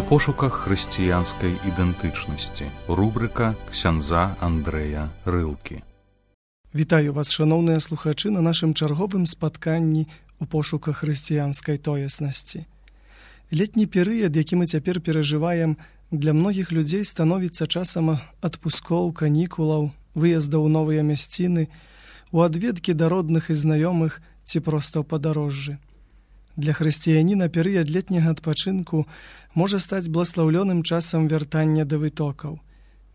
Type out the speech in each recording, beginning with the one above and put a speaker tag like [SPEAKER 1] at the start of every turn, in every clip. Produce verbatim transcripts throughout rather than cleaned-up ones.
[SPEAKER 1] У пошуках хрысціянскай ідэнтычнасці. Рубрика ксяндза Андрэя Рылкі.
[SPEAKER 2] Вітаю вас, шановныя слухачы, на нашым чарговым спатканні у пошуках хрысціянскай тоеснасці. Летні перыяд, які мы цяпер перажываем, для многіх людзей становіцца часам адпускоў, канікулаў, выездаў у новыя мясціны, у адведкі да родных і знаёмых ці проста ў падарожжы. Для хрысціяніна перыяд летняга адпачынку можа стаць бласлаўлёным часам вяртання да вытокаў.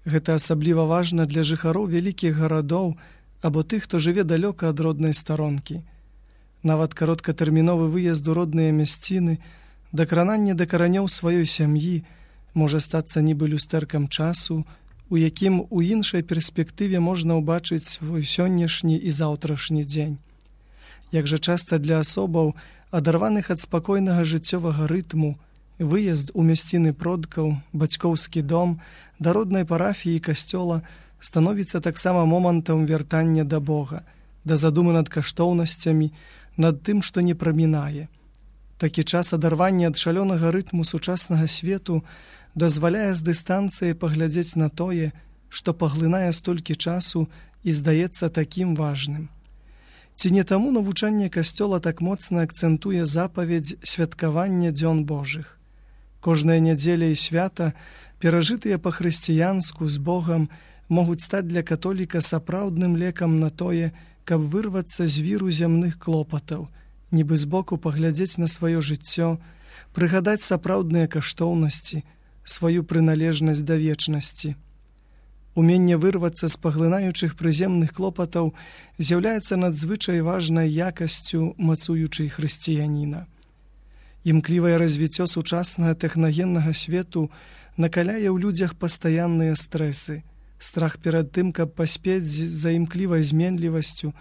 [SPEAKER 2] Гэта асабліва важна для жыхароў вялікіх гарадоў або тых, хто жыве далёка ад роднай старонкі. Нават кароткатэрміновы выезд у родныя мясціны, дакрананне да каранёў сваёй сям'і можа стацца нібы люстэркам часу, у якім у іншай перспектыве можна ўбачыць свой сённяшні і заўтрашні дзень. Як жа часта для асобаў, адарваных ад спакойнага жыццёвага рытму, выезд у мясціны продкаў, бацькоўскі дом, да роднай парафіі і касцёла становіцца таксама момантам вяртання да Бога, да задумы над каштоўнасцямі, над тым, што не прамінае. Такі час адарвання ад шалёнага рытму сучаснага свету дазваляе з дыстанцыі паглядзець на тое, што паглынае столькі часу і здаецца такім важным. Ці не таму навучанне касцёла так моцна акцэнтуе запаведзь святкавання дзён Божых. Кожная нядзеля і свята, перажытыя па-хрысціянску з Богам, могуць стаць для католіка сапраўдным лекам на тое, каб вырвацца з віру зямных клопатаў, нібы збоку паглядзець на сваё жыццё, прыгадаць сапраўдныя каштоўнасці, сваю прыналежнасць да вечнасці. Уменне вырвацца з паглынаючых прыземных клопатаў з'яўляецца надзвычай важнай якасцю мацуючай хрысціяніна. Імклівае развіццё сучаснага тэхнагеннага свету накаляе ў людзях пастаянныя стрэсы, страх перад тым, каб паспець за імклівай зменлівасцю,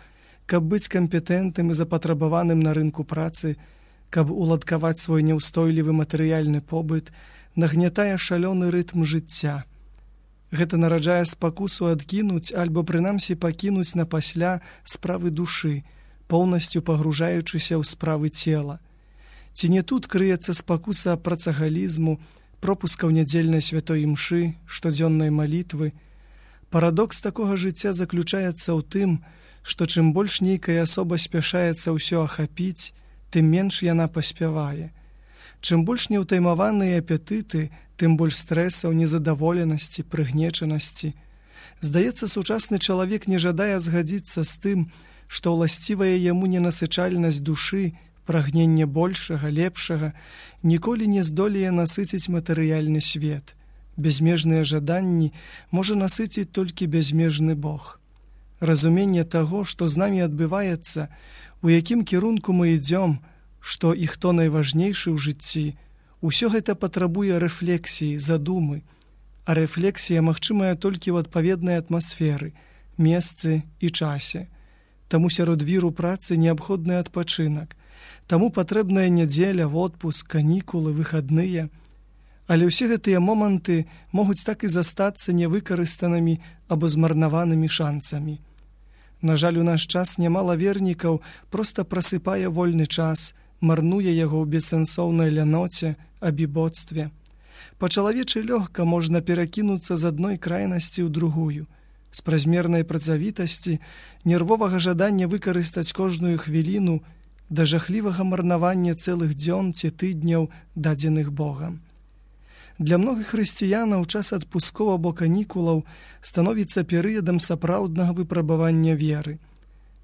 [SPEAKER 2] каб быць кампетэнтным і запатрабаваным на рынку працы, каб уладкаваць свой няўстойлівы матэрыяльны побыт, нагнятае шалёны рытм жыцця. Гэта нараджае спакусу адкінуць альбо прынамсі пакінуць напасля справы душы, поўнасцю пагружаючыся ў справы цела. Ці не тут крыецца спакуса працагалізму, пропускаў нядзельнай святой імшы, штодзённай малітвы. Парадокс такога жыцця заключаецца ў тым, што чым больш нейкая асоба спяшаецца ўсё ахапіць, тым менш яна паспявае. Чым больш неўтаймаваныя апетыты, тым больш стрэсаў, незадаволенасці, прыгнечанасці. Здаецца, сучасны чалавек не жадае згадзіцца з тым, што ўласцівая яму ненасычальнасць душы, прагненне большага, лепшага, ніколі не здолее насыціць матэрыяльны свет. Бязмежныя жаданні можа насыціць толькі бязмежны Бог. Разуменне таго, што з намі адбываецца, у якім кірунку мы ідзём, што і хто найважнейшы ў жыцці, усё гэта патрабуе рэфлексіі, задумы, а рэфлексія магчымая толькі ў адпаведнай атмасферы, месцы і часе. Таму сярод віру працы неабходны адпачынак, таму патрэбная нядзеля, водпуск, канікулы, выхадныя. Але ўсе гэтыя моманты могуць так і застацца невыкарыстанымі або змарнаванымі шанцамі. На жаль, у наш час нямала вернікаў проста прасыпае вольны час, марнуе яго ў бессэнсоўнай ляноце, абібоцтве. Па-чалавечы лёгка можна перакінуцца з адной крайнасці ў другую, з празмернай працавітасці, нервовага жадання выкарыстаць кожную хвіліну да жахлівага марнавання цэлых дзён ці тыдняў, дадзеных Богам. Для многіх хрысціянаў час адпускоў або канікулаў становіцца перыядам сапраўднага выпрабавання веры.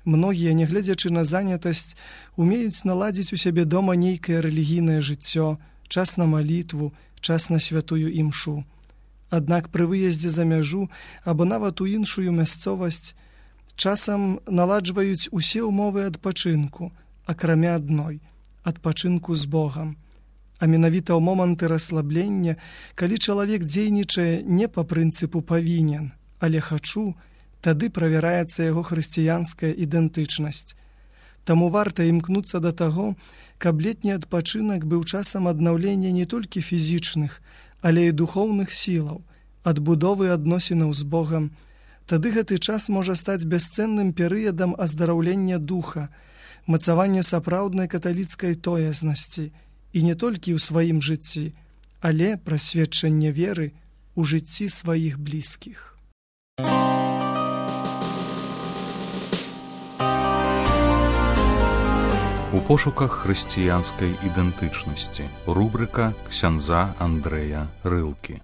[SPEAKER 2] Многія, нягледзячы на занятасць, умеюць наладзіць у сябе дома нейкае рэлігійнае жыццё, час на малітву, час на святую імшу. Аднак пры выездзе за мяжу або нават у іншую мясцовасць часам наладжваюць усе ўмовы адпачынку, акрамя адной – адпачынку з Богам. А менавіта ў моманты расслаблення, калі чалавек дзейнічае не па прынцыпу «павінен», але «хачу», тады правяраецца яго хрысціянская ідэнтычнасць. Таму варта імкнуцца да таго, каб летні адпачынак быў часам аднаўлення не толькі фізічных, але і духоўных сілаў, адбудовы адносінаў з Богам. Тады гэты час можа стаць бясцэнным перыядам аздараўлення духа, мацавання сапраўднай каталіцкай тоеснасці, і не толькі ў сваім жыцці, але пра сведчанне веры ў жыцці сваіх блізкіх.
[SPEAKER 1] У пошуках хрысціянскай ідэнтычнасці. Рубрыка ксяндза Андрэя Рылкі.